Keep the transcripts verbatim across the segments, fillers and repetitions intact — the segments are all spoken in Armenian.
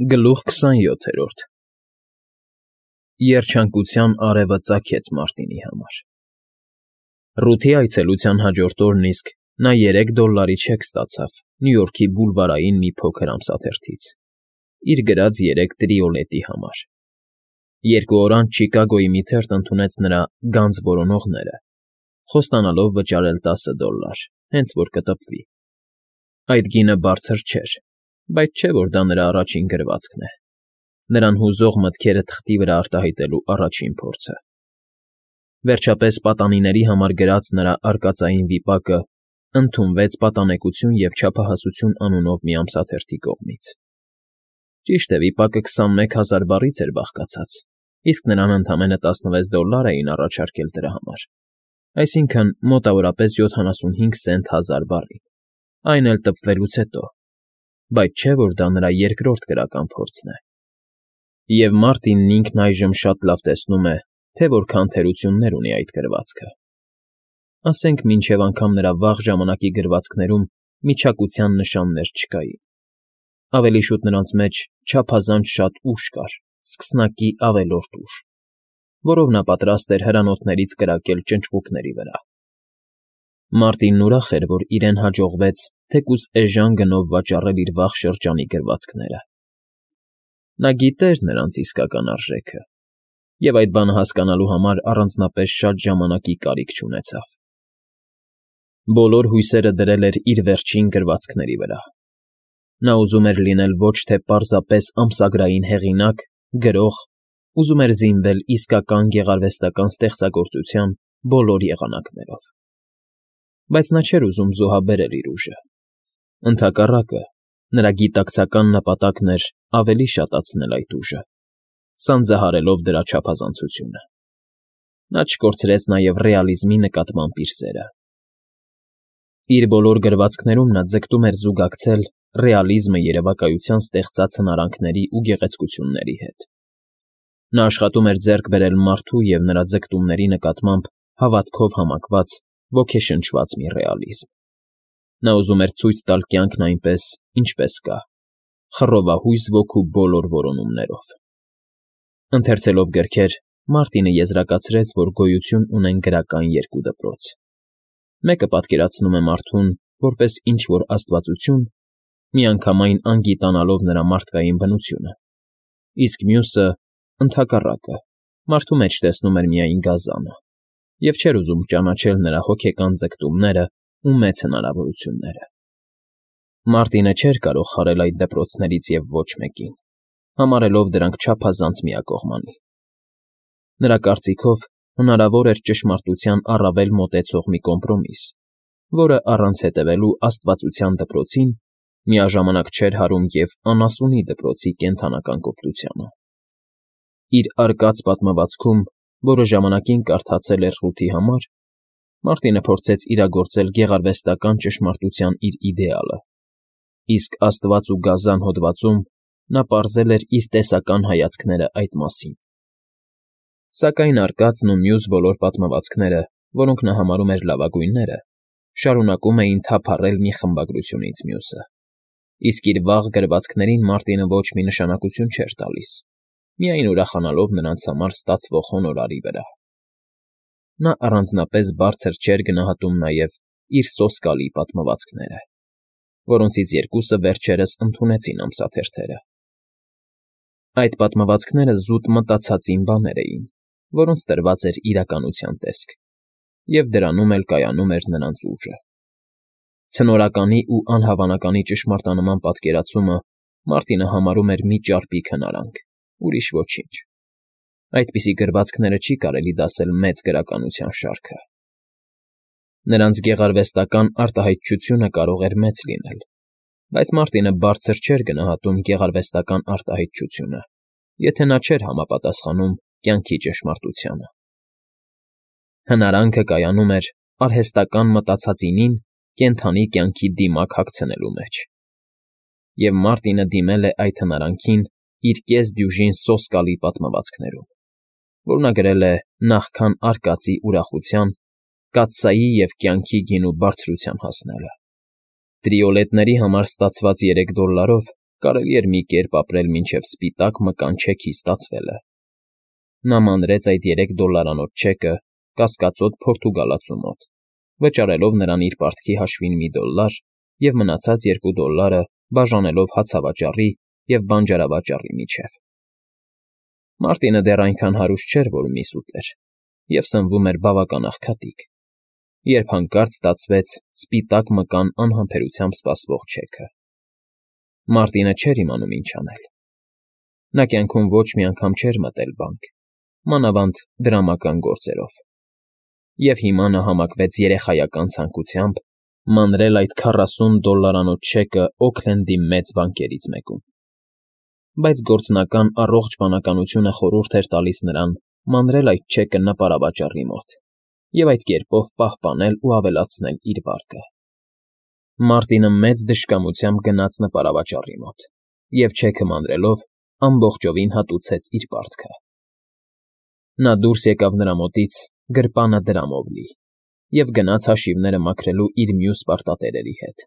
Գլուխ քսանյոթերորդ Երջանկության արևը ծագեց Մարտինի համար։ Ռութի այցելության հաջորդ օրն իսկ նա երեք դոլլարի չեք ստացավ Նյու Յորքի բուլվարային մի փոքր ամսաթերթից, իր գրած երեք տրիոլետի համար։ Երկու օր անց Չիկագոյի մի թերթ ընդունեց նրա «Գանձ որոնողները», խոստանալով վճարել տասը դոլլար, հենց որ կտպվի։ Այդ գինը բարձր չէր, բայց չէ, որ դա նրա առաջին գրվածքն է, նրան հուզող մտքերը թղթի վրա արտահայտելու առաջին փորձը։ Վերջապես պատանիների համար գրած նրա արկածային վիպակը ընդունվեց Պատանեկություն և չափահասություն անունով մի ամսաթերթի կողմից։ Ճիշտ է, վիպակը քսանմեկ հազար բառից էր բաղկացած, իսկ նրան ընդամենը տասնվեց դոլլար էին առաջարկել դրա համար, այսինքն՝ մոտավորապես յոթանասունհինգ սենտ հազար բառի, այն էլ տպվելուց հետո, բայց չէ, որ դա նրա երկրորդ գրական փորձն է։ Եվ Մարտինն ինքն այժմ շատ լավ տեսնում է, թե որքան թերություններ ունի այդ գրվածքը։ Ասենք մինչև անգամ նրա վաղ ժամանակի գրվածքներում միջակության նշաններ չկային։ Ավելի շուտ նրանց մեջ չափազանց շատ ուժ կար, սկսնակի ավելորդ ուժ, որով նա պատրաստ էր հրանոթներից կրակել ճնճղուկների վրա։ Մարտինն ուրախ էր, որ իրեն հաջողվեց թեկուզ էժան գնով վաճառել իր վաղ շրջանի գրվածքները։ Նա գիտեր նրանց իսկական արժեքը, և այդ բանը հասկանալու համար առանձնապես շատ ժամանակի կարիք չունեցավ։ Բոլոր հույսերը դրել էր իր վերջին գրվածքների վրա։ Նա ուզում էր լինել ոչ թե պարզապես ամսագրային հեղինակ, գրող, ուզում էր զինվել իսկական գեղարվեստական ստեղծագործության բոլոր եղանակներով։ Բայց նա չէր ուզում զոհաբերել իր ուժը։ Ընդհակառակը, նրա գիտակցական նպատակն էր ավելի շատացնել այդ ուժը, սանձահարելով դրա չափազանցությունը։ Նա չկորցրեց նաև ռեալիզմի նկատմամբ իր սերը։ Իր բոլոր գրվածքներում նա ձգտում էր զուգակցել ռեալիզմը երևակայության ստեղծած հնարանքների ու գեղեցկությունների հետ։ Նա աշխատում էր ձեռք բերել մարդու և նրա ձգտումների նկատմամբ հավատքով համակված, ոգեշնչված մի ռեալիզմ։ Նա ուզում էր ցույց տալ կյանքն այնպես, ինչպես կա, խռովահույս ոգու բոլոր որոնումներով։ Ընթերցելով գրքեր, Մարտինը եզրակացրեց, որ գոյություն ունեն գրական երկու դպրոց։ Մեկը պատկերացնում է մարդուն որպես ինչ-որ աստվածություն, միանգամայն անգիտանալով նրա մարդկային բնությունը, իսկ մյուսը, ընդհակառակը, մարդու մեջ տեսնում էր միայն գազանը և չէր ուզում ճանաչել նրա հոգեկան ձգտումները ու մեծ հնարավորությունները։ Մարտինը չէր կարող խարել այդ դպրոցներից և ոչ մեկին, համարելով դրանք չափազանց միակողմանի։ Նրա կարծիքով հնարավոր էր ճշմարտության առավել մոտեցող մի կոմպրոմիս, որը առանց հետևելու աստվածության դպրոցին միաժամանակ չէր հարում և անասունի դպրոցի կենդանական կոպտությանը։ Իր արկած պատմվածքում, որը ժամանակին կարդացել էր Ռութի համար, Մարտինը փորձեց իրագործել գեղարվեստական ճշմարտության իր իդեալը, իսկ աստված ու գազան հոդվածում նա պարզել էր իր տեսական հայացքները այդ մասին։ Սակայն արկածն ու մյուս բոլոր պատմվածքները, որոնք նա համարում էր լավագույնները, շարունակում էին թափառել մի խմբագրությունից մյուսը, իսկ իր վաղ գրվածքներին Մարտինը ոչ մի նշանակություն չէր տալիս, միայն ուրախանալով նրանց համար ստացվող հոնորարի վրա։ Նա առանձնապես բարձր չէր գնահատում նաև իր սոսկալի պատմվածքները, որոնցից երկուսը վերջերս ընդունեցին ամսաթերթերը։ Այդ պատմվածքները զուտ մտածածին բաներ էին, որոնց տրված էր իրականության տեսք, և դրանում էլ կայանում էր նրանց ուժը։ Ցնորականի ու անհավանականի ճշմարտանման պատկերացումը Մարտինը համարում էր մի ճարպիկ հնարանք, ուրիշ ոչինչ։ Այդպիսի գրվածքները չի կարելի դասել մեծ գրականության շարքը։ Նրանց գեղարվեստական արտահայտչությունը կարող էր մեծ լինել, բայց Մարտինը բարձր չէր գնահատում գեղարվեստական արտահայտչությունը, եթե նա չէր համապատասխանում կյանքի ճշմարտությանը։ Հնարանքը կայանում էր արհեստական մտածածինին կենդանի կյանքի դիմակ հագցնելու մեջ։ Եվ Մարտինը դիմել է այդ հնարանքին իր կես֊դյուժին սոսկալի պատմվածքներում, որ նա գրել է նախքան արկածի ուրախության, կաթսայի և կյանքի գինու բարձրության հասնելը։ Տրիոլետների համար ստացված երեք դոլլարով կարելի էր մի կերպ ապրել մինչև սպիտակ մկան չեքի ստացվելը։ Նա մանրեց այդ երեք դոլարանոց չեկը կասկածոտ փորտուգալացու մոտ, վճարելով նրան իր պարտքի հաշվին մի դոլլար և մնացած երկու դոլլարը բաժանելով հացավաճառի և բանջարավաճառի միջև։ Մարտինը դեռ այնքան հարուստ չէր, որ միս ուտեր, և սնվում էր բավական աղքատիկ, երբ հանկարծ ստացվեց սպիտակ մկան անհամբերությամբ սպասվող չեքը։ Մարտինը չէր իմանում ինչ անել։ Նա կյանքում ոչ մի անգամ չէր մտել բանկ, մանավանդ դրամական գործերով, և հիմա նա համակվեց երեխայական ցանկությամբ մանրել այդ քառասուն դոլլարանոց չեկը Օքլենդի մեծ բանկերից մեկում։ Բայց գործնական առողջ բանականությունը խորհուրդ էր տալիս նրան մանրել այդ չեկը նպարավաճառի մոտ և այդ կերպով պահպանել ու ավելացնել իր վարկը։ Մարտինը մեծ դժկամությամբ գնաց նպարավաճառի մոտ և չեքը մանրելով ամբողջովին հատուցեց իր պարտքը։ Նա դուրս եկավ նրա մոտից գրպանը դրամով լի և գնաց հաշիվները մաքրելու իր մյուս պարտատերերի հետ։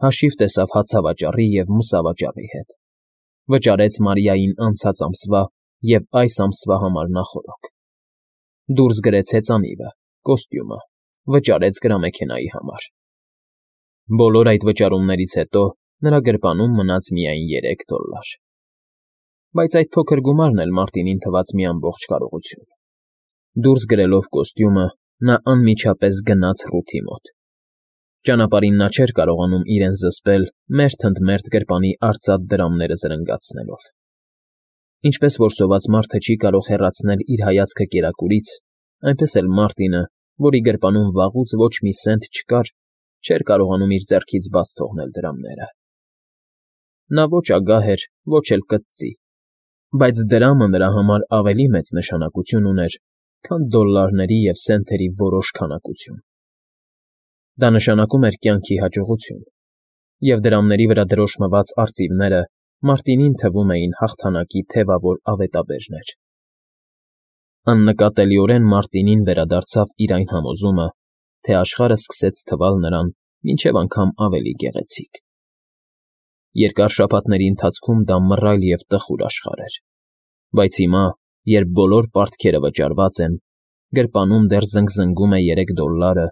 Հաշիվ տեսավ հացավաճառի և մսավաճառի հետ, վճարեց Մարիային անցած ամսվա և այս ամսվա համար նախօրոք, դուրս գրեց հեծանիվը, կոստյումը, վճարեց գրամեքենայի համար։ Բոլոր այդ վճարումներից հետո նրա գրպանում մնաց միայն երեք դոլլար։ Բայց այդ փոքր գումարն էլ Մարտինին թվաց մի ամբողջ կարողություն։ Դուրս գրելով կոստյումը՝ նա անմիջապես գնաց Ռութի մոտ։ Ճանապարհին նա չէր կարողանում իրեն զսպել մերթ ընդ մերթ գրպանի արծաթ դրամները զրնգացնելով։ Ինչպես որ սոված մարդը չի կարող հեռացնել իր հայացքը կերակուրից, այնպես էլ Մարտինը, որի գրպանում վաղուց ոչ մի սենտ չկար, չէր կարողանում իր ձեռքից բաց թողնել դրամները։ Նա ոչ ագահ էր, ոչ էլ կծծի, բայց դրամը նրա համար ավելի մեծ նշանակություն ուներ, քան դոլլարների և սենթերի որոշ քանակություն։ Դա նշանակում էր կյանքի հաջողություն, և դրամների վրա դրոշմված արծիվները Մարտինին թվում էին հաղթանակի թևավոր ավետաբերներ։ Աննկատելիորեն Մարտինին վերադարձավ իր այն համոզումը, թե աշխարհը սկսեց թվալ նրան մինչև անգամ ավելի գեղեցիկ։ Երկար շաբաթների ընթացքում դա մռայլ և տխուր աշխարհ էր, բայց հիմա, երբ բոլոր պարտքերը վճարված են, գրպանում դեռ զնգզնգում է երեք դոլլարը,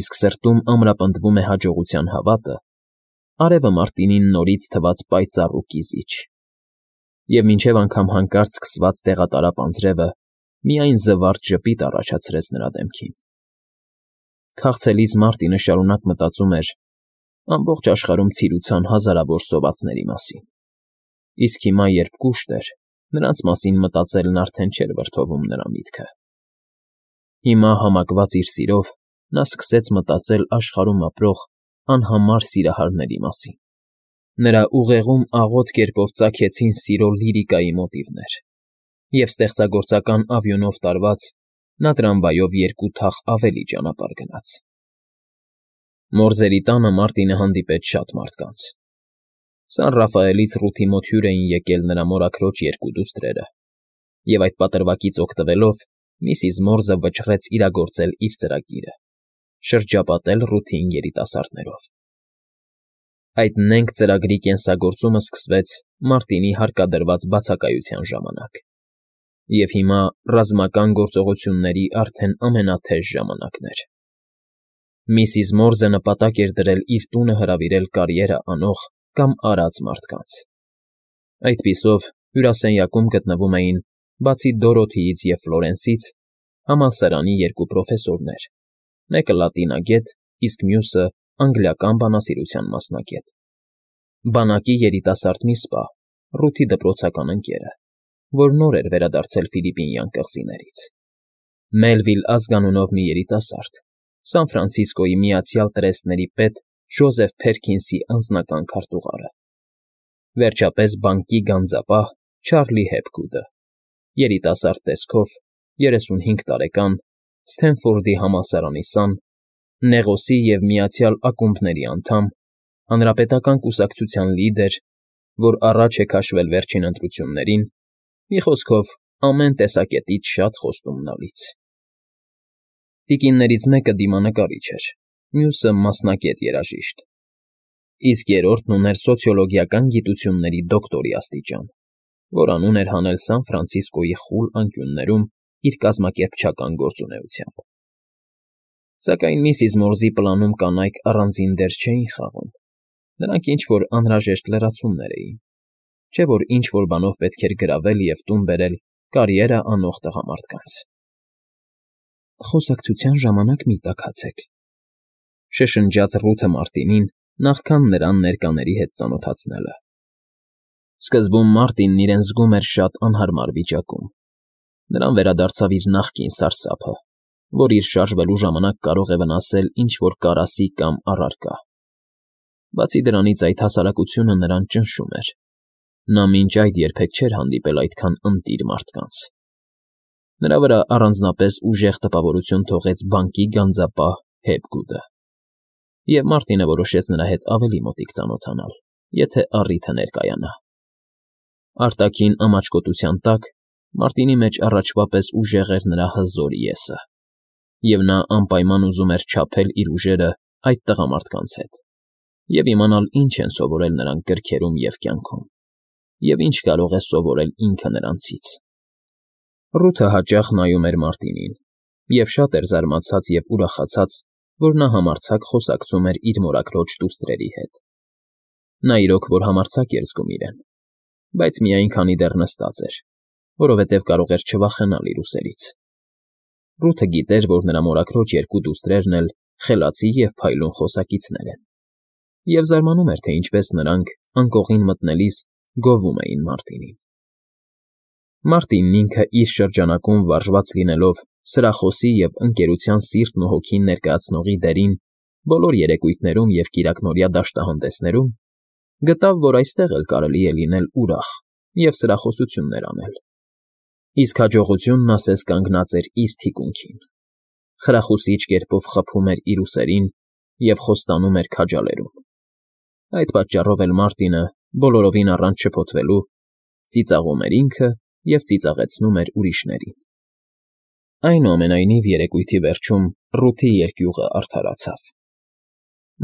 իսկ սրտում ամրապնդվում է հաջողության հավատը, արևը Մարտինին նորից թվաց պայծառ ու կիզիչ, և մինչև անգամ հանկարծ սկսված տեղատարապ անձրևը միայն զվարթ ժպիտ առաջացրեց նրա դեմքին։ Քաղցելիս Մարտինը շարունակ մտածում էր ամբողջ աշխարհում ցիրուցան հազարավոր սովածների մասին, իսկ հիմա, երբ կուշտ էր, նրանց մասին մտածելն արդեն չէր վրդովում նրա միտքը։ Հիմա, համակված իր սիրով, նա սկսեց մտածել աշխարհում ապրող անհամար սիրահարների մասին։ Նրա ուղեղում աղոտ կերպով ծագեցին սիրո լիրիկայի մոտիվներ, և ստեղծագործական ավյունով տարված՝ նա տրամվայով երկու թախ ավելի ճանապարհ գնաց։ Մորզերի տանը Մարտինը հանդիպեց շատ մարդկանց։ Սան Ռաֆայելից Ռութի մոտ հյուր էին եկել նրա մորաքրոջ երկու դուստրերը, և այդ պատրվակից օգտվելով միսիս Մորզը վճռեց իրագործել իր ծրագիրը՝ շրջապատել Ռութին երիտասարդներով։ Այդ նենգ ծրագրի կենսագործումը սկսվեց Մարտինի հարկադրված բացակայության ժամանակ, և հիմա ռազմական գործողությունների արդեն ամենաթեժ ժամանակն էր։ Միսիս Մորզը նպատակ էր դրել իր տունը հրավիրել կարիերա անող կամ արած մարդկանց։ Այդպիսով հյուրասենյակում գտնվում էին, բացի Դորոթիից և Ֆլորենսից, համալսարանի երկու պրոֆեսորներ, մեկը լատինագետ, իսկ մյուսը անգլիական բանասիրության մասնագետ, բանակի երիտասարդ մի սպա, Ռութի դպրոցական ընկերը, որ նոր էր վերադարձել Ֆիլիպինյան կղզիներից, Մելվիլ ազգանունով մի երիտասարդ, Սան Ֆրանցիսկոյի Միացյալ Տրեստների պետ Ջոզեֆ Փերքինսի անձնական քարտուղարը, վերջապես բանկի գանձապահ Չարլի Հեփգուդը, երիտասարդ տեսքով, երեսունհինգ տարեկան, Սթենֆորդի համալսարանի սան, Նեղոսի և Միացյալ Ակումբների անդամ, հանրապետական կուսակցության լիդեր, որ առաջ է քաշվել վերջին ընտրություններին, մի խոսքով, ամեն տեսակետից շատ խոստումնալից։ Տիկիններից մեկը դիմանկարիչ էր, մյուսը մասնագետ երաժիշտ։ իսկ երրորդն ուներ սոցիոլոգիական գիտությունների դոկտորի աստիճան, որ անուն էր հանել Սան Ֆրանցիսկոյի խուլ անկյուններում իր կազմակերպչական գործունեությամբ։ Սակայն միսիս Մորզի պլանում կանայք առանձին դեր չէին խաղում, նրանք ինչ-որ անհրաժեշտ լրացումներ էին, չէ՞ որ ինչ֊որ բանով պետք էր գրավել և տուն բերել կարիերա անող տղամարդկանց։ «Խոսակցության ժամանակ մի տաքացեք,֊ շշնջաց Ռութը Մարտինին նախքան նրան ներկաների հետ ծանոթացնելը։ Սկզբում Մարտինն իրեն զգում էր շատ անհարմար վիճակում. նրան վերադարձավ իր նախկին սարսափը, որ իր շարժվելու ժամանակ կարող է վնասել ինչ֊որ կարասի կամ առարկա։ Բացի դրանից այդ հասարակությունը նրան ճնշում էր. նա մինչ այդ երբեք չէր հանդիպել այդքան ընտիր մարդկանց։ Նրա վրա առանձնապես ուժեղ տպավորություն թողեց բանկի գանձապահ Հեփգուդը, և Մարտինը որոշեց նրա հետ ավելի մոտիկ ծանոթանալ, եթե առիթը ներկայանա։ Արտաքին ամաչկոտության տակ Մարտինի մեջ առաջվա պես ուժեղ էր նրա հզոր ես-ը, և նա անպայման ուզում էր չափել իր ուժերը այդ տղամարդկանց հետ և իմանալ ինչ են սովորել նրանք գրքերում և կյանքում, և ինչ կարող է սովորել ինքը նրանցից։ Ռութը հաճախ նայում էր Մարտինին և շատ էր զարմացած և ուրախացած, որ նա համարձակ խոսակցում էր իր մորաքրոջ դուստրերի հետ։ Նա իրոք որ համարձակ էր զգում իրեն, բայց միայն քանի դեռ նստած էր, որովհետև կարող էր չվախենալ իր ուսերից։ Ռութը գիտեր, որ նրա մորաքրոջ երկու դուստրերն էլ խելացի և փայլուն խոսակիցներ են, և զարմանում էր, թե ինչպես նրանք, անկողին մտնելիս, գովում էին Մարտինին։ Մարտինն ինքը իր շրջանակում վարժված լինելով սրախոսի և ընկերության սիրտն ու հոգին ներկայացնողի դերին բոլոր երեկույթներում և կիրակնօրյա դաշտահանդեսներում, գտավ, որ այստեղ էլ կարելի է լինել ուրախ և սրախոսություններ անել։ Իսկ հաջողությունն ասես կանգնած էր իր թիկունքին, խրախուսիչ կերպով խփում էր իր ուսերին և խոստանում էր քաջալերում։ Այդ պատճառով էլ Մարտինը, բոլորովին առանց շփոթվելու, ծիծաղում էր ինքը և ծիծաղեցնում էր ուրիշներին։ Այնուամենայնիվ երեկույթի վերջում Ռութի երկյուղը արդարացավ։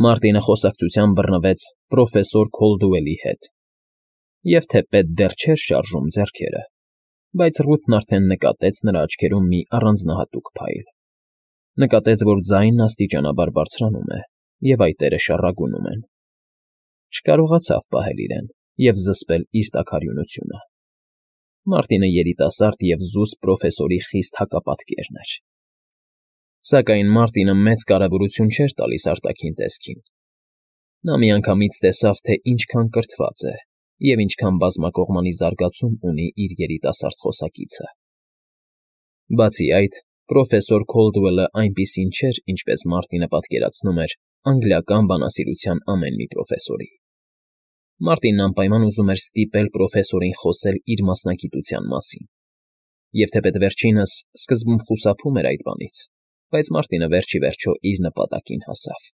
Մարտինը խոսակցության բռնվեց պրոֆեսոր Քոլդուելի հետ, և թեպետ դեռ չէր շարժում ձեռքերը, բայց Ռութն արդեն նկատեց նրա աչքերում մի առանձնահատուկ փայլ, նկատեց, որ ձայնն աստիճանաբար բարձրանում է, և այտերը շառագունում են։ Չկարողացավ պահել իրեն և զսպել իր տաքարյունությունը։ Մարտինը երիտասարդ և զուսպ պրոֆեսորի խիստ հակապատկերն էր։ Սակայն Մարտինը մեծ կարևորություն չէր տալիս արտաքին տեսքին։ Նա միանգամից տեսավ, թե ինչքան կրթված է և ինչքան բազմակողմանի զարգացում ունի իր երիտասարդ խոսակիցը։ Բացի այդ, պրոֆեսոր Քոլդուելը այնպիսին չէր, ինչպես Մարտինը պատկերացնում էր անգլիական բանասիրության ամեն մի պրոֆեսորի։ Մարտինն անպայման ուզում էր ստիպել պրոֆեսորին խոսել իր մասնագիտության մասին, և թեպետ վերջինս սկզբում խուսափում էր այդ բանից, բայց Մարտինը վերջ ի վերջո իր նպատակին հասավ։